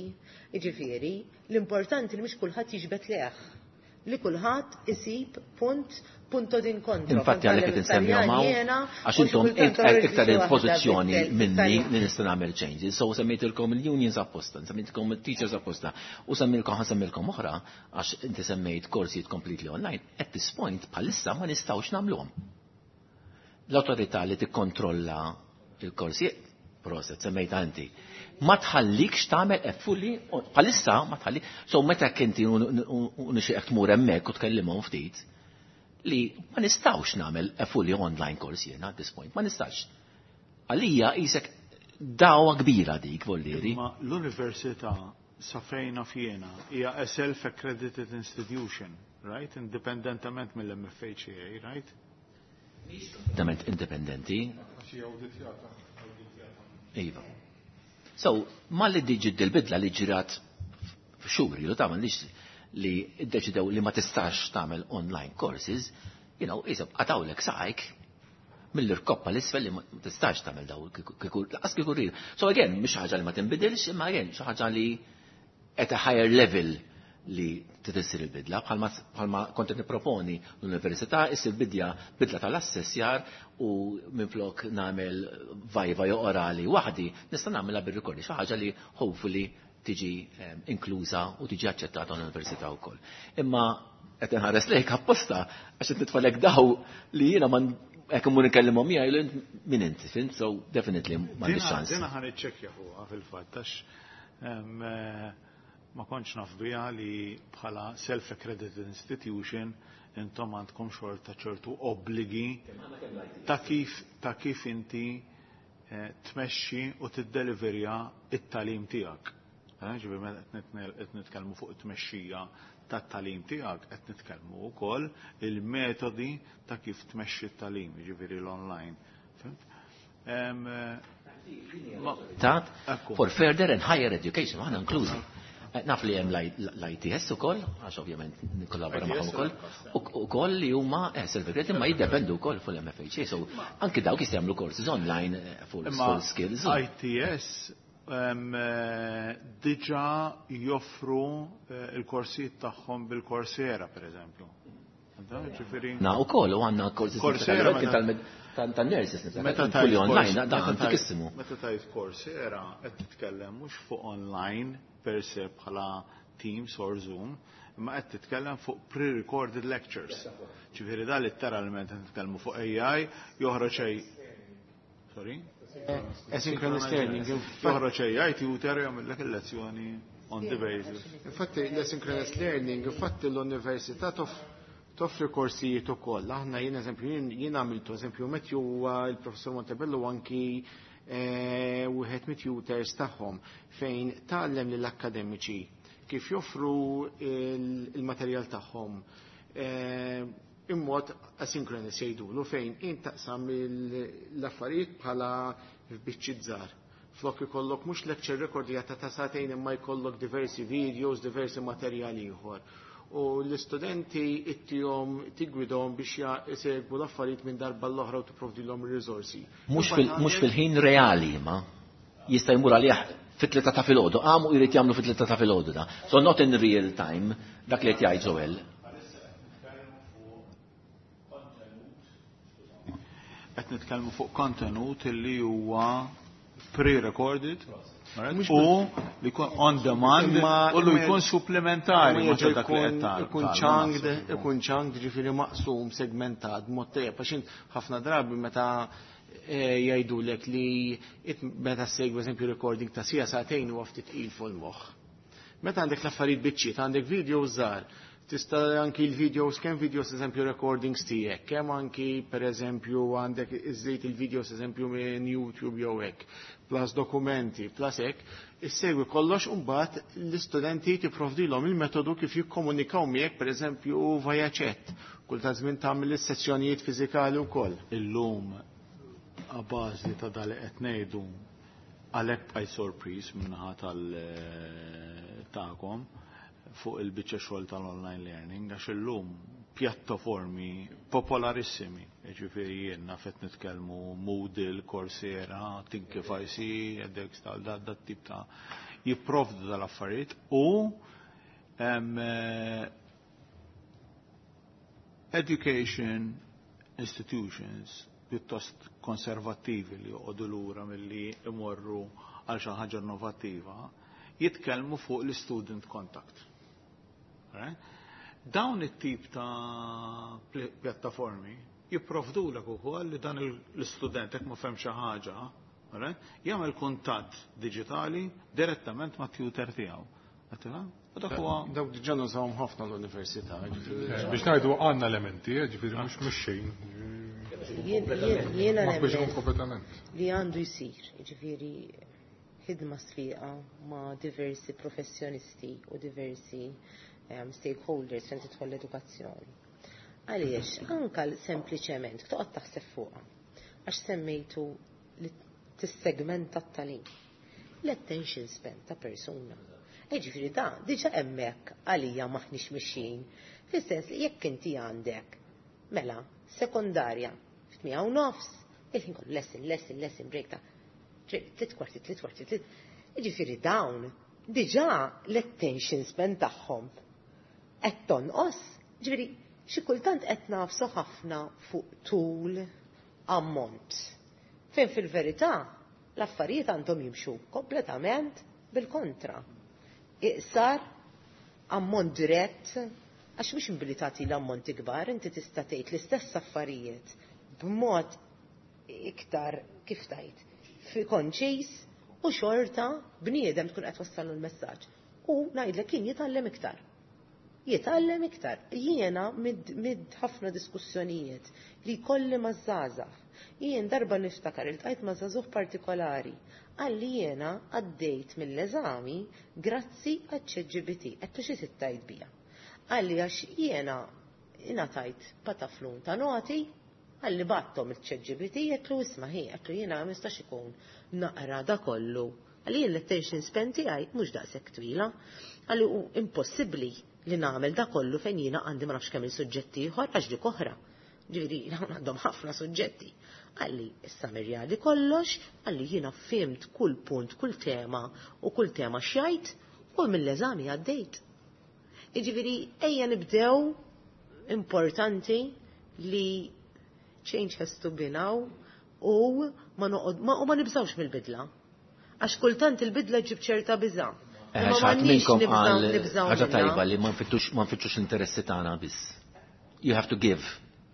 Jiġifieri, l-importanti li mhux kulħadd jiġbed leħ, li kulħadd isib punt punto d'incontro. Infatti għalhekk qed insemmihom hawn għax intom iktar in pożizzjoni minni li nista' nagħmel changes. So semmejtilkom il-unions apposta, semmejtilkom il-teachers apposta u semmilkom ħansemmilkom oħra għax inti semmejt korsijiet completely online. At this point bħalissa ma nistgħux nagħmluhom. L-awtorità li tikkontrolla il-korsijiet, proset, semmejta inti, ma tħallikx tagħmel fully bħalissa ma tħallik. So meta kinti nixtieq tmur hemmhekk u tkellimhom ftit li ma nistgħux nagħmel a fully online course jiena at this point, ma nistax. Għalija isek dawa kbira dik vollieri. Ma l-università sa fejna fjena hija a self-accredited institution, right? Indipendentament mill-M F H A, right? Indipendent indipendenti. Iva. So, ma li diġi dil-bidla li ġirat f'xhur, ju tagħmel li ddeċidew li ma tistax tagħmel online courses, you know, isab qatawlek saqajk mill-irkoppa l-isfel li ma tistax tagħmel daw kieku laqas kieku rrid. So again, mhix ħaġa li ma tinbidilx, imma again xi ħaġa li at a higher level li tissir il-bidla, bħalma kont qed nipproponi l-università issir bidja bidla tal-assessjar u minflok nagħmel vajva jew orali waħdi, nista' nagħmilha bir-rikordi, xi ħaġa li hopefully tiġi inkluża u tiġi aċċettata l-università wkoll. Imma qed inħares lejk apposta għax qed nitfalek daw li jiena ma hekk imur nkellimhom miegħi min inti, fint? So definitely m'għandix ċans. Dina ħa niċċekkja fuqha fil-fatt għax ma kontx naf biha li bħala self-accredited institution intom għandkom xorta ċertu obbligi ta' kif ta' kif inti tmexxi u tiddeliverja it-tagħlim tiegħek. Ġifieri meta qed nitkellmu fuq it-tmexxija tat-tagħlim tiegħek qed nitkellmu wkoll il-metodi ta' kif tmexxi t-tagħlim, jiġifieri l-online. Fimt? Tat for further and higher education, aħna inklużi. Naf li hemm l-I T S ukoll, għax ovvjament nikkollabora magħhom ukoll, ukoll li huma self-accredited imma jiddependu wkoll fuq l-M F H A, so anki dawk jistgħu jagħmlu courses online full skills. I T S diġà joffru il-korsijiet tagħhom bil-Coursera, per eżempju. Na ukoll u għandna courses tan-nurses fully online, dan antikissimu. Meta tajt Coursera qed titkellem mhux fuq online per se bħala Teams or Zoom, imma qed titkellem fuq pre-recorded lectures. Ġifieri da letteralment qed nitkellmu fuq A I joħroġ Sorry? Asynchronous learning. Joħroġ A I tutor jagħmellek il-lezzjoni on the basis. Infatti l-asynchronous learning, infatti l-università toffri korsijiet ukoll. Aħna jien eżempju jien għamiltu eżempju Matthew huwa il-professor Montebello anki wieħed mit-tutors tagħhom fejn tgħallem lill-akademiċi kif joffru il-materjal tagħhom immod asynchronous jgħidulu fejn int taqsam l-affarijiet bħala f'biċċiet żgħar. Flok ikollok mhux lecture rekordjata ta' sagħtejn imma jkollok diversi videos, diversi materjali ieħor. U l-istudenti ittihom tigwidhom biex jsegwu l-affarijiet minn darba l-oħra u tipprovdilhom ir-riżorsi. Mhux fil-ħin reali ma jista' jmur għalih fit-tlieta ta' filgħodu, qamu jrid jagħmlu fit-tlieta ta' filgħodu da. So not in real time, dak li qed jgħid Joel. Qed nitkellmu fuq kontenut li huwa pre-recorded u li jkun on demand u li jkun supplementari. Ikun chunked, ikun chunked ġifieri maqsum, segmentat, mod tajjeb, għax ħafna drabi meta jgħidulek li meta ssegwi eżempju recording ta' sija sagħtejn huwa ftit tqil fuq il-moħħ. Meta għandek l-affarijiet biċċiet, għandek video żgħar, tista' anki l-videos, kemm videos eżempju recordings tiegħek, kemm anki pereżempju għandek iżżejt il-videos eżempju minn YouTube jew hekk, plus dokumenti, plus hekk, issegwi kollox u mbagħad l-istudenti tipprovdilhom il-metodu kif jikkomunikaw miegħek pereżempju via chat. Kull ta' żmien tagħmel is-sessjonijiet fiżikali wkoll. Illum a bażi ta' dal qed ngħidu għalhekk bqajt sorpriż minnaħa tal tagħkom fuq il-biċċa xogħol tal-online learning għax illum pjattaformi popolarissimi, jiġifieri jien naf qed nitkellmu Moodle, Coursera, Thinkific, edX tal dat dat tip ta' jipprovdu dal-affarijiet u education institutions pjuttost konservattivi li joqogħdu lura milli imorru għal xi ħaġa innovattiva jitkellmu fuq l-student contact. Dawn it-tip ta' pjattaformi jipprovdulek ukoll li dan l-istudent jekk ma fehem xi ħaġa, jagħmel kuntatt diġitali direttament mat-tutor tiegħu. Dawk diġà nużawhom ħafna l-università. Biex ngħidu għandna elementi, ġifieri mhux mhux xejn. Jiena nemmen li għandu jsir, jiġifieri ħidma sfiqa ma' diversi professjonisti u diversi stakeholders fejn tidħol l-edukazzjoni. Għaliex, anka sempliċement, toqgħod taħseb fuqha, għax semmejtu li tissegmenta t-tagħlim. L-attention span ta' persuna. Ġifieri da, diġà hemmhekk għalija maħniex mixjin. Fis-sens li jekk inti għandek mela sekondarja f'tmiegħa u nofs, il-ħin kollu lesson, lesson, lesson, break ta' tliet kwarti, tliet kwarti, tliet. Ġifieri dawn diġà l-attention span tagħhom qed tonqos. Ġifieri xi kultant qed nafsu ħafna fuq tul ammont. Fejn fil-verità l-affarijiet għandhom jimxu kompletament bil-kontra. Iqsar ammont dirett, għax mhux billi tagħti l-ammonti kbar, inti tista' tgħid l-istess affarijiet b'mod iktar kif tajt, fi konċis u xorta bniedem tkun qed wassallu l-messaġġ. U ngħidlek kien jitgħallem iktar. Jitgħallem iktar. Jiena mid ħafna diskussjonijiet li kolli maż-żgħażagħ. Jien darba niftakar iltqajt ma' żagħżugħ partikolari. Għalli jiena għaddejt mill-eżami grazzi għaċ-ChatGPT. Għedtlu xi tittajt bija. Għalli għax jiena ingħatajt pataflun ta' noti, għalli battom il-ChatGPT, għedtlu isma' hi, għedtlu jiena ma nistax ikun naqra da kollu. Għalli jien l-attention span tiegħi mhux daqshekk twila. Għalli hu impossibbli li nagħmel da kollu fejn jiena għandi ma nafx kemm il-suġġetti ieħor għax dik oħra. Ġifieri dawn għandhom ħafna suġġetti. Għalli issa mirjali kollox, għalli jiena fimt kull punt, kull tema u kull tema xjajt u mill-eżami għaddejt. Jiġifieri ejja nibdew importanti li change has to be now u ma noqgħod ma, u ma nibżawx mill-bidla. Għax kultant il-bidla ġib ċerta biża'. Xaħat minnkom għal ħaġa tajba li ma nfittxux l-interessi tagħna biss. You have to give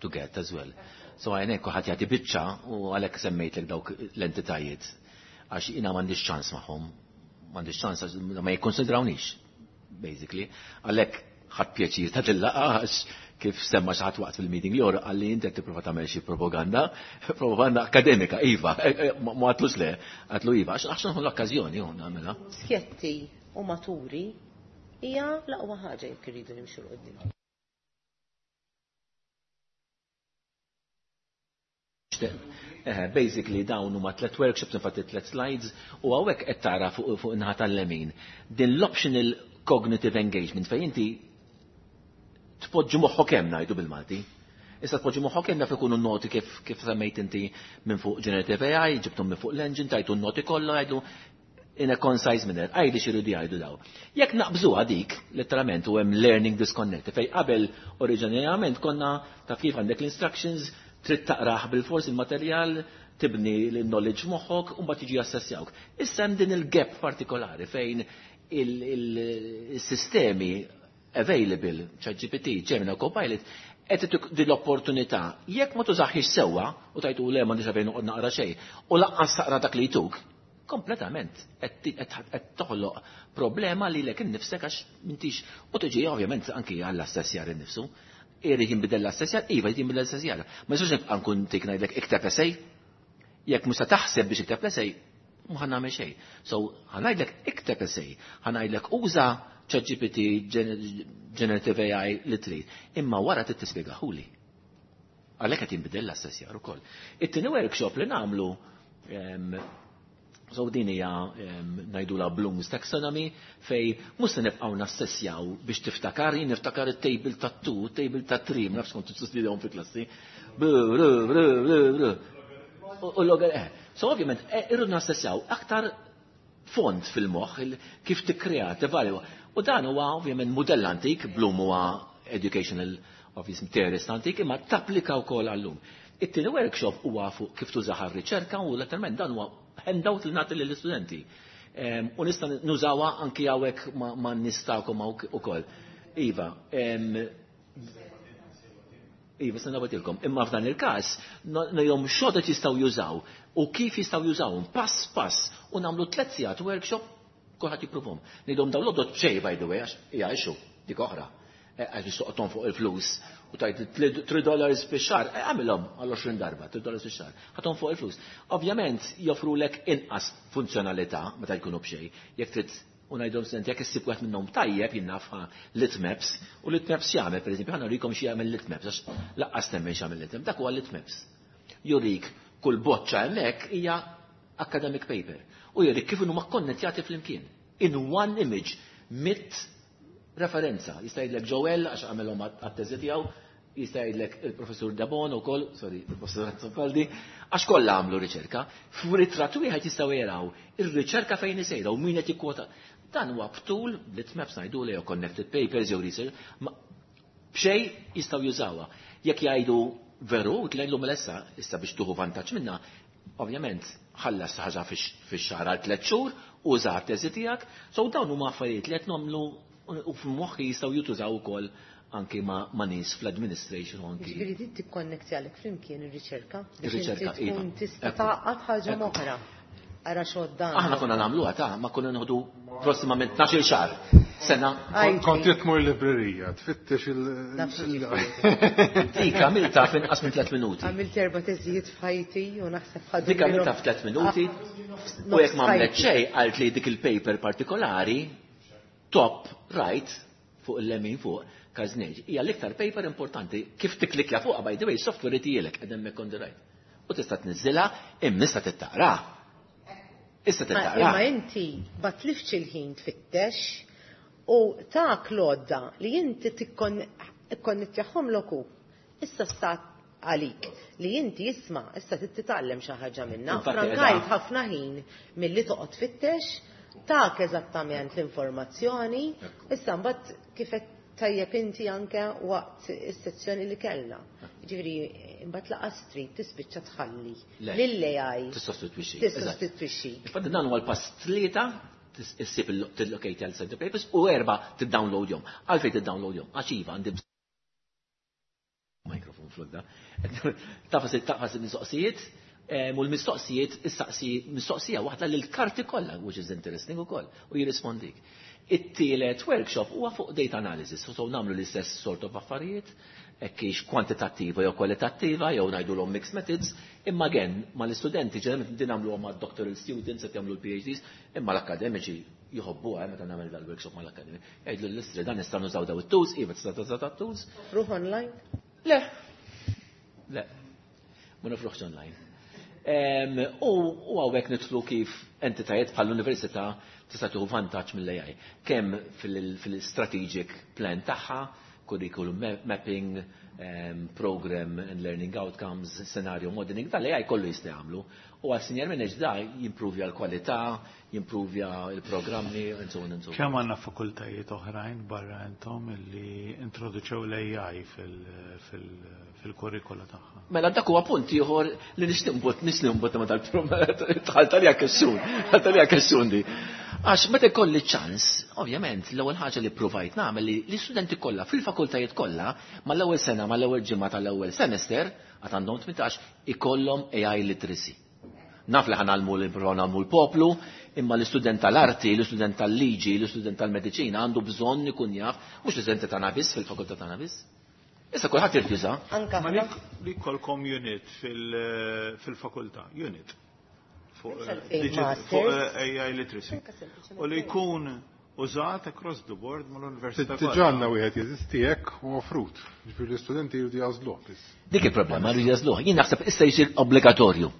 to get as well. So għajnek kuħat jagħti biċċa u għalhekk semmejtlek dawk l-entitajiet. Għax jiena m'għandix ċans magħhom. M'għandix ċans għax ma jikkonsidrawniex, basically. Għalhekk ħadd pjaċir ta' tillaqa għax kif semma xi ħadd waqt fil-meeting li għalli inti qed tipprova tagħmel xi propaganda, propaganda akademika, iva, ma għatlux le, għatlu iva, għax għax l-okkażjoni hu nagħmilha. Skjetti u maturi Hija l-aqwa ħaġa jekk irridu nimxu 'l quddiem. Basically dawn huma tliet workshops, infatti tliet slides, u hawnhekk qed tara fuq fuq in-naħa tal-lemin. Din l-optional cognitive engagement fejn inti tpoġġi moħħok hemm ngħidu bil-Malti. Issa tpoġġi moħħok hemm jaf ikunu noti kif kif semmejt inti minn fuq generative A I, ġibthom minn fuq l-engine, tajtu n-noti kollha jgħidu in a concise manner, għajdi x'iridu jgħidu daw. Jekk naqbżuha dik, letteralment, u hemm learning disconnect, fejn qabel oriġinarjament konna taf kif għandek l-instructions, trid taqrah bil-fors il-materjal, tibni l-knowledge moħħok, u mbagħad jiġi assessjawk. Issa hemm din il-gap partikolari fejn il-sistemi available, ChatGPT, Gemini, Copilot, qed din l-opportunità. Jekk ma tużaħiex sewwa u tajtu le m'għandix għalfejn noqgħod naqra xejn, u lanqas taqra dak li jtuk, kompletament qed toħloq problema lilek innifsek għax m'intix u tiġi ovvjament anki għall-assessjar innifsu. Irid jinbidel l-assessjar, iva jrid jinbidel l-assessjar. Ma jistax nibqa' nkun tik ngħidlek ikteb essay, jekk mhux se taħseb biex ikteb l-essay, mhu ħa nagħmel xejn. So ħa ngħidlek ikteb essay, ħa ngħidlek uża ChatGPT, Generative A I li trid, imma wara trid tispjegahuli. Għalhekk qed jinbidel l-assessjar ukoll. It-tieni workshop li nagħmlu, so din hija ngħidulha Bloom's Taxonomy, fej mhux se nibqgħu nassessjaw biex tiftakar, jien niftakar it-table ta' two, table ta' three, ma nafx kont tistudjahom fi klassi. U l-logger, so ovvjament irridu nassessjaw aktar fond fil-moħħ kif tikkrea, tevalwa. U dan huwa ovvjament mudell antik, Bloom huwa educational obviously theorist antik, imma tapplika wkoll għallum. It-tieni workshop huwa fuq kif tużaha r-riċerka u letteralment dan huwa handout li nagħti lill-istudenti. U nista' nużawha anki hawnhekk ma' nistakom ukoll. Iva, Iva, se nagħtilkom. Imma f'dan il-każ ngħidhom x'għodod jistgħu jużaw u kif jistgħu jużawhom pass pass u nagħmlu tliet sigħat workshop kulħadd jippruvhom. Ngħidhom dawn l-għodod b'xejn by the way għax hija issue dik oħra. Għax nistoqgħodhom fuq il-flus u tajt three dollars fix-xahar, għamilhom għal għoxrin darba, three dollars fix-xahar, ħathom fuq il-flus. Ovvjament joffrulek inqas funzjonalità meta jkunu b'xejn, jekk trid u ngħidhom studenti jekk issib wieħed minnhom tajjeb jien nafha Litmaps, u Litmaps jagħmel pereżempju, ħa nurikom xi jagħmel Litmaps għax laqqas nemmen x'jagħmel Litmaps, dak huwa Litmaps. Jurik kull boċċa hemmhekk hija academic paper u jurik kif huma kkonnettjati flimkien. In one image, mit referenza. Jista' jgħidlek Joel għax għamilhom għat-teżi tiegħu, jista' jgħidlek il-professur Dabon ukoll, sorry, il-professur Azzopardi, għax kollha għamlu riċerka. F'ritratt wieħed jistgħu jaraw ir-riċerka fejn isejra u min qed jikkwota. Dan huwa btul Litmaps ngħidu jew connected papers jew research, ma b'xejn jistgħu jużawha. Jekk jgħidu veru, tlejlu mela issa biex tuħu vantaġġ minnha, ovvjament ħallas ħaġa fix-xahar għal tliet xhur, uża t-teżi tiegħek, so dawn huma affarijiet li qed nagħmlu u f'moħħi jistgħu jutużaw ukoll anki ma' nies fl-administration u anki. Ġifieri din tikkonnetti għalek flimkien ir-riċerka biex Ir-riċerka, inti tkun iva. tista' tgħaqqad ħaġa oħra. Ara x'għoddan. Aħna konna nagħmluha ta' ma konna nieħdu prossimament tnax-il xahar. Sena. Kont tmur librerija, tfittex il- Nafx ġifieri. Dik għamilta f'inqas minn tliet minuti. Għamilt erba' teżijiet f'ħajti u naħseb ħadu Dik għamilta minnhom. f'tliet minuti. Ah, U jekk ma għamlet nofs xejn, qalt li dik il-paper partikolari top right fuq il-lemin fuq Kaznej. Hija l-iktar paper importanti kif tiklikja fuqha by the way software itielek qed hemmhekk on the right. U tista' tniżżilha imma issa tittaqra. Issa tittaqra. Imma inti ma tlifx il-ħin tfittex u tak l-għodda li inti tikkonnettjahom loku. Issa stat għalik li inti jisma' issa titgħallem xi ħaġa minnha. Infatti, Frankajt eżatt. ħafna ħin milli toqgħod tfittex, tak eżattament l-informazzjoni, issa mbagħad kif qed tajjeb inti anke waqt is-sezzjoni li kellna. Ġifieri imbagħad laqas trid tispiċċa tħalli Le. lill-A I. Tissostitwixxi. Tissostitwixxi. Infatti dan huwa l-pass tlieta issib il-locate għal center papers u erba' tiddownloadjhom. Għalfejn tiddownloadjhom? Għax iva għandi bżonn mikrofon flok da. Tafas tafas il-mistoqsijiet, u l-mistoqsijiet issaqsi mistoqsija waħda lil karti kollha, which is interesting ukoll, u jirrispondik. It-tielet workshop huwa fuq data analysis, so nagħmlu l-istess sort of affarijiet, Hekk hix kwantitattiva jew kwalitattiva jew ngħidulhom mixed methods, imma again mal-istudenti ġeneralment din nagħmluhom mad-doctoral students qed jagħmlu l-PhDs, imma l-akademiċi jħobbuha meta nagħmel dal-workshop mal-akademiċi. Jgħidlu l-istri dan nistgħu nużaw daw it-tools, iva tista' tuża dat-tools. Ruħ online? Le. Le. Ma nofruħx online. U hawnhekk nidħlu kif entitajiet bħall-università tista' tieħu vantaġġ mill-AI. Kemm fil-strategic plan tagħha, curriculum mapping, um, program and learning outcomes, scenario modeling, dal-AI kollu jista' jagħmlu. U għal senior manager da jimprovja l-kwalità, jimprovja l-programmi, and so on and so on. Kemm għandna fakultajiet oħrajn barra intom illi introduċew l-AI fil-kurrikula tagħha? Mela dak huwa punt ieħor li nixtieq nbott nixtieq nbott ma tal-tħalt għalija kessun, tħalt għalija kessun di. Għax meta jkolli ċans, ovvjament, l-ewwel ħaġa li provajt nagħmel li l-istudenti kollha fil-fakultajiet kollha mal-ewwel sena, mal-ewwel ġimgħa tal-ewwel semester, għad għandhom tmintax, ikollhom AI literacy. Naf li ħanalmu l l-poplu, imma l-istudent tal-arti, l-istudent tal-liġi, l-istudent tal-mediċina għandu bżonn ikun jaf, mhux l-istudenti tagħna biss fil-fakultà tagħna biss. Issa kulħadd irid juża. Anka Ma li jkollkom unit fil-fakultà, unit fuq AI literacy. U li jkun użat across the board mal-università. Diġà għandna wieħed jeżisti hekk u offrut. Ġifieri l-istudenti jridu jażluh biss. Dik il-problema jridu jażluh. Jien naħseb issa jsir obbligatorju.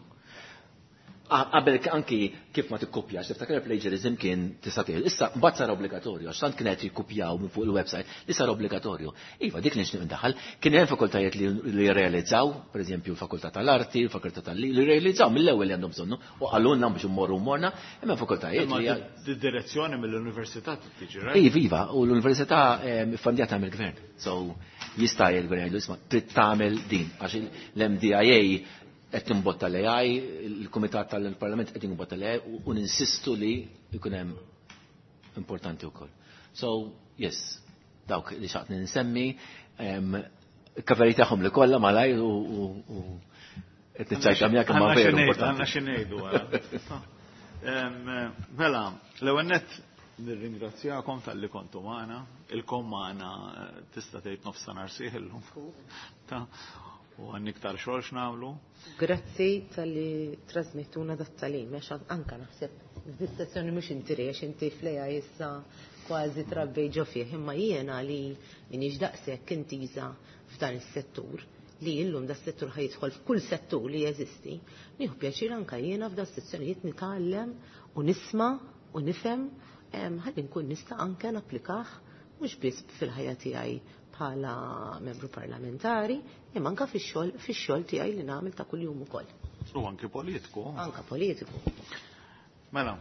Qabel anki kif ma tikkopjax, tiftakar plagiarism kien tista' tgħid. Issa mbagħad sar obbligatorju, għax tant kienet jikkupjaw minn fuq il-website li sar obbligatorju. Iva, dik nixtieq indaħħal, kien hemm fakultajiet li jirrealizzaw, pereżempju l-fakultà tal-arti, l-fakultà tal-li, li jirrealizzaw mill-ewwel li għandhom bżonnu u qalulna biex immorru morna, hemm fakultajiet li direzzjoni mill-università tiġi, right? Iva, iva, u l-università ffandjata mill-gvern. So jista' jgħid jgħidu isma' trid tagħmel din għax l-MDIA qed nimbotta l-AI, il-Kumitat tal-Parlament qed jimbotta l-AI u ninsistu li jkun hemm importanti wkoll. So, yes, dawk li xaqt ninsemmi, kaveri tagħhom li kollha malajr u qed niċċajta miegħek imma veru importanti. Għandna xi ngħidu. Mela, l-ewwel nett nirringrazzjakom talli kontu magħna, ilkom magħna tista' tgħid nofs ta' nhar sieħ illum. U għan iktar xogħol x'nagħmlu. Grazzi talli trasmettuna dat-talim, għax anka naħseb f'dis-sessjoni mhux inti għax inti fl-AI issa kważi trabbej ġo fih, imma jiena li minix daqshekk intiża f'dan is-settur li illum da settur ħajidħol f'kull settur li jeżisti, nieħu pjaċir anka jiena f'da sessjonijiet nitgħallem u nisma' u nifhem ħalli nkun nista' anke napplikah mhux biss fil-ħajja tiegħi bħala membru parlamentari, imma anka fix-xogħol fix-xogħol tiegħi li nagħmel ta' kuljum ukoll. U anki politiku. Anka politiku. Mela,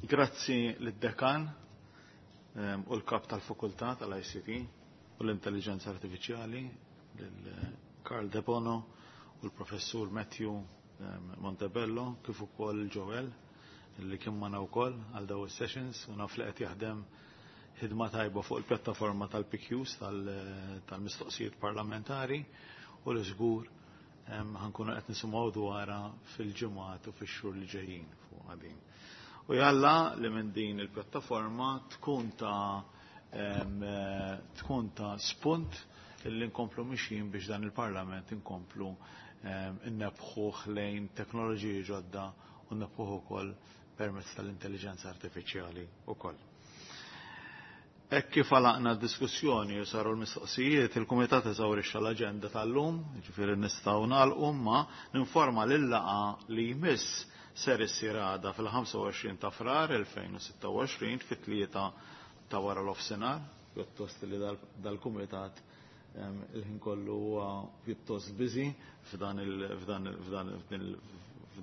grazzi lid-dekan u l-kap tal-fakultà tal-ICT u l-intelligenza artifiċjali, lil Karl Debono u l-professur Matthew Montebello, kif ukoll Joel li kien magħna wkoll għal daw is-sessions u naf li qed jaħdem ħidma tajba fuq il-pjattaforma tal-PQs tal-mistoqsijiet parlamentari u li żgur ħankunu qed nisimgħu dwarha fil-ġimgħat u fix-xhur li ġejjin fuq din. U jalla li minn din il-pjattaforma tkun ta' tkun ta' spunt illi nkomplu mixjin biex dan il-Parlament inkomplu innebħuh lejn teknoloġiji ġodda u nnebħuh ukoll permezz tal-intelligenza artifiċjali ukoll. Hekk kif għalaqna d-diskussjoni u saru l-mistoqsijiet, il-Kumitat eżawrixxa l-aġenda tal-lum, jiġifieri nistgħu nagħlqu ma ninforma lil-laqgħa li jmiss ser issir għada fil-ħamsa u għoxrin ta' Frar elfejn u sitta u għoxrin fit-tlieta ta' wara l-offsinar, pjuttost li dal-Kumitat il-ħin kollu huwa pjuttost busy f'dan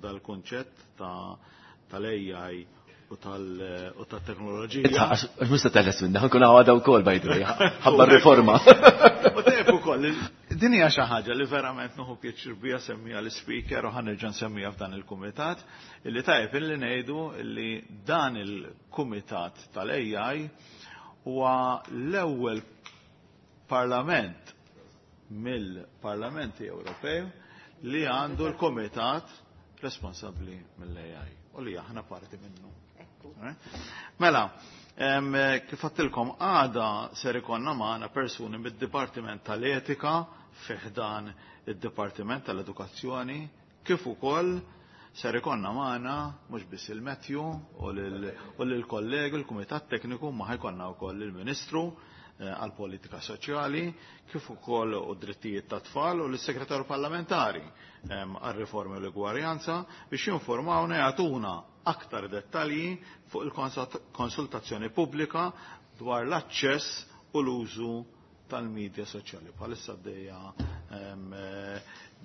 il-kunċett tal-AI u tal-teknoloġija. Għax mhux se teħles minna, ħankun għada wkoll by the way, ħabba r-riforma. U tajjeb ukoll, din hija xi ħaġa li verament nieħu pjaċir biha semmija l-ispeaker u ħanerġa' nsemmija f'dan il-kumitat, illi tajjeb illi ngħidu illi dan il-kumitat tal-AI huwa l-ewwel parlament mill-Parlamenti Ewropew li għandu l-kumitat responsabbli mill-AI u li aħna parti minnu. Mela, Kif għedtilkom, għada ser ikollna magħna persuni mid-Dipartiment tal-Etika fi ħdan id-Dipartiment tal-Edukazzjoni, kif ukoll ser ikollna magħna mhux biss il-Matthew u lill-kollegi l-Kumitat Tekniku, ma ħa jkollna wkoll il-Ministru għal-Politika Soċjali, kif ukoll u drittijiet ta' tfal u l-Segretarju Parlamentari għal-Riformi u l-Egwarjanza biex jinformawna, jagħtuna aktar dettalji fuq il-konsultazzjoni pubblika dwar l-aċċess u l-użu tal-medja soċjali. Bħalissa għaddejja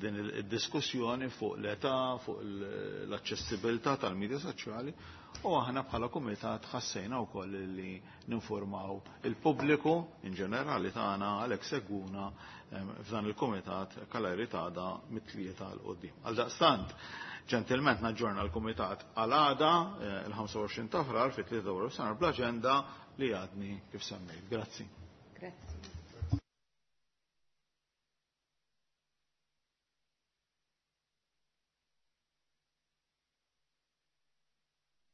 din id-diskussjoni fuq l-età, fuq l-aċċessibilità tal-medja soċjali, u aħna bħala kumitat ħassejna wkoll li ninformaw il-pubbliku in ġenerali tagħna, għalhekk segwuna f'dan il-kumitat kalari tagħda mit-tlieta 'l quddiem. Għaldaqstant, ġentilment naġġorna l-kumitat għal għada il-ħamsa u għoxrin ta' Frar fit-tlieta wara nofsinhar bl-aġenda li għadni kif semmejt. Grazzi. Grazzi.